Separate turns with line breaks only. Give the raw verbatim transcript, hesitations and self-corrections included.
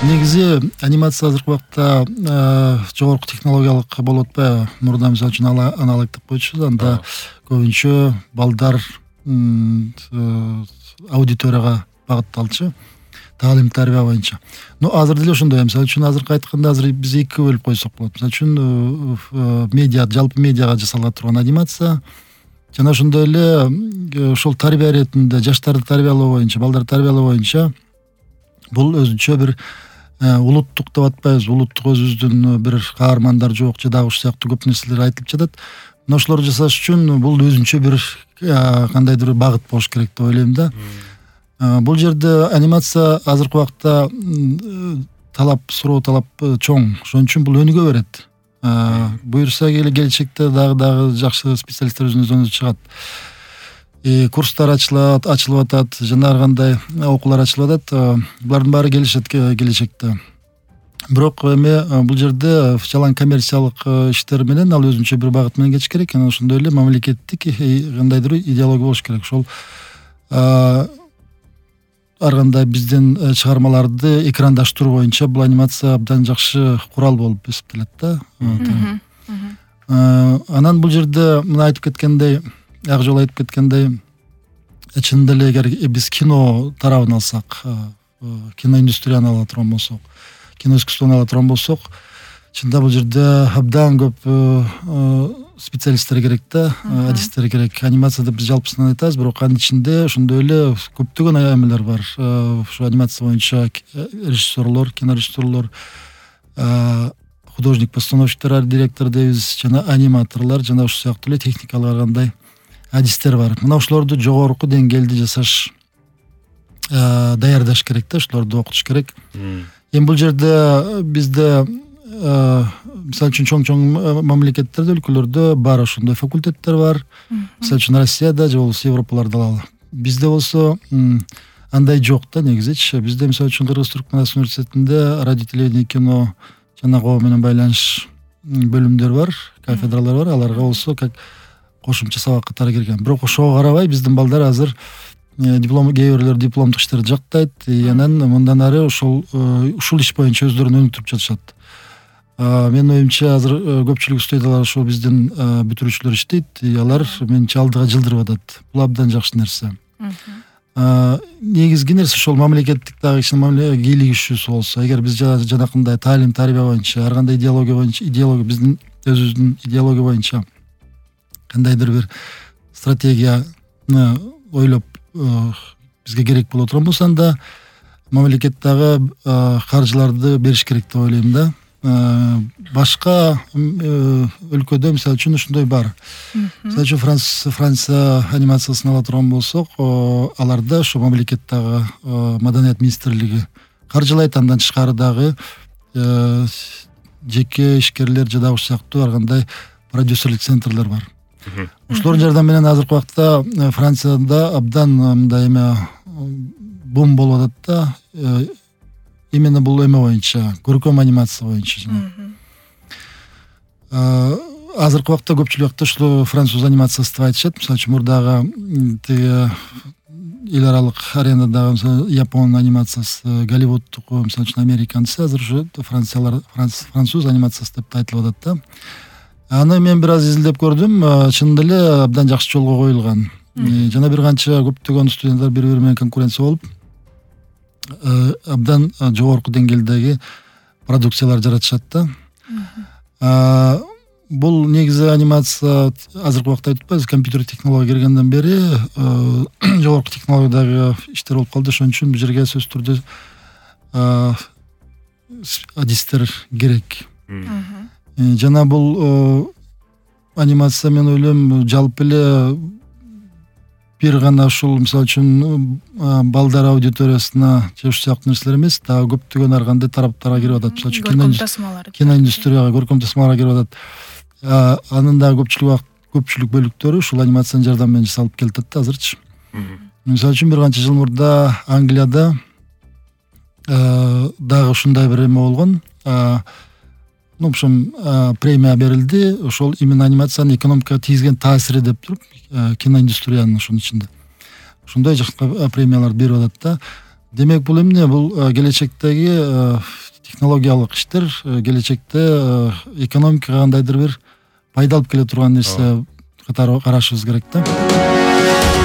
Негизи анимация азыркы убакта жогорку технологиялык болуп атпайбы? Мурда мисалы үчүн аналог деп койчубуз, анда көбүнчө балдар аудиторияга багытталчу, таалим тарбия боюнча. Но азыр деле ошондой. Мисалы үчүн азыркы айтканда азыр биз экиге бөлүп койсок болот. Мисалы үчүн медиа, жалпы медиага жасалга турган анимация жана ошондой эле ошол тарбия иретинде жаштарды тарбиялоо боюнча, балдарды тарбиялоо боюнча бул өзүнчө бир улуттук деп атпайбыз, улуттук өзүбүздүн бир каармандар жок же дагы ушул сыяктуу көп нерселер айтылып жатат. Мына ошолорду жасаш үчүн бул өзүнчө бир кандайдыр бир багыт болуш керек деп ойлойм да. Бул жерде анимация азыркы убакта талап, суроо талап чоң. Ошон үчүн бул өнүгө берет. Буюрса келечекте дагы дагы жакшы специалисттер өзүнүздөн өзү чыгат. Курстар ачылат, ачылып атат, жана ар кандай окуулар ачылып атат. Булардын баары келишет келечекте. Бирок эми бул жерде жалаң коммерциялык иштер менен ал өзүнчө бир багыт менен кетиш керек. Анан ошондой эле мамлекеттик кандайдыр идеология болуш керек. Ошол ар кандай биздин чыгармаларды экрандашыруу боюнча бул анимация абдан жакшы курал болуп эсептелет да. Анан бул жерде мына айтып кеткендей, ак жолу айтып кеткендей, чынында эле эгер биз кино тарабын алсак, киноиндустрияны ала турган болсок, кино искусствону ала турган болсок, чынында бул жерде абдан көп специалисттер керек да, адистер керек. Анимацияда биз жалпысынан айтабыз, бирок анын ичинде ошондой эле көптөгөн эмелер бар. Ушу анимация боюнча режиссерлор, кинорежиссерлор, художник-постановщиктер, директор дейбиз, жана аниматорлор, жана ушул сыяктуу эле техникалык ар кандай адистер бар. Мына ошолорду жогорку деңгээлде жасаш, даярдаш керек да, ошолорду окутуш керек. Эми бул жерде бизде мисалы үчүн чоң-чоң мамлекеттерде, өлкөлөрдө бар ошондой факультеттер бар. Мисалы үчүн Россияда же болбосо Европаларда алалы. Бизде болсо андай жок да негизичи. Бизде мисалы үчүн Кыргыз Түркмөнстан университетинде радио, телевидение, кино жана коо менен байланыш бөлүмдөр бар, кафедралар бар. Аларга болсо как кошумча сабак катары кирген. Бирок ошого карабай биздин балдар азыр диплом, кээ бирлер дипломдук иштерди жактайт, анан мындан ары ошол ушул иш боюнча өздөрүн өнүктүрүп жатышат. Менин оюмча азыр көпчүлүк студиялар ошол биздин бүтүрүүчүлөр иштейт, алар менимче алдыга жылдырып атат. Бул абдан жакшы нерсе. Негизги нерсе ошол мамлекеттик дагы кичине кийлигишүүсү болсо, эгер биз жанакындай таалим тарбия боюнча, ар кандай идеология боюнча, идеология биздин өзүбүздүн идеология боюнча кандайдыр бир стратегияны ойлоп бизге керек боло турган болсо, анда мамлекет дагы каржыларды бериш керек деп ойлойм да. Башка өлкөдө мисалы үчүн ушундай бар. Мисалы үчүн Франция анимациясын ала турган болсок, аларда ошо мамлекет дагы маданият министрлиги каржылайт, андан тышкары дагы жеке ишкерлер же дагы ушул сыяктуу ар кандай продюсерлик центрлер бар. Ошолордун жардамы менен азыркы убакта Францияда абдан мындай эме бум болуп атат да. Именно бул эме боюнча, көркөм анимация боюнча. Азыркы убакта көпчүлүк убакта ушул француз анимациясы деп айтышат. Мисалы үчүн мурдагы тиги эл аралык аренадагы Япон анимациясы, Голливудтук, мисалы үчүн американцы, азыр ушу франциялар француз анимациясы деп айтылып атат да. Аны мен бир аз изилдеп көрдүм, чынында эле абдан жакшы жолго коюлган. Жана бир канча көптөгөн студенттер бири-бири менен конкуренция болуп абдан жогорку деңгээлдеги продукциялар жаратышат да. Бул негизи анимация азыркы убакта айтып атпайбыз, компьютер технология киргенден бери жогорку технологиядагы иштер болуп калды. Ошон үчүн бул жерге сөзсүз түрдө адистер керек. Жана бул анимация, мен ойлойм, жалпы эле бир гана ушул мисалы үчүн балдар аудиториясына же ушул сыяктуу нерселер эмес, дагы көптөгөн ар кандай тараптарга кирип атат. Мисалы үчүн киноиндустрияга, көркөм тасмаларга кирип атат. Анын дагы көпчүлүк көпчүлүк бөлүктөрү ушул анимациянын жардамы менен жасалып келатат да азырчы. Мисалы үчүн бир канча жыл мурда Англияда дагы ушундай бир эме болгон. Ну, в общем, премия берилди. Ошол именно анимациянын экономикага тийгизген таасири деп туруп, киноиндустриянын ошонун ичинде. Ошондой жакка премияларды берип атат да. демек бул эмне, бул келечектеги технологиялык иштер келечекте экономикага кандайдыр бир пайда алып келе турган нерсе катары карашыбыз керек да.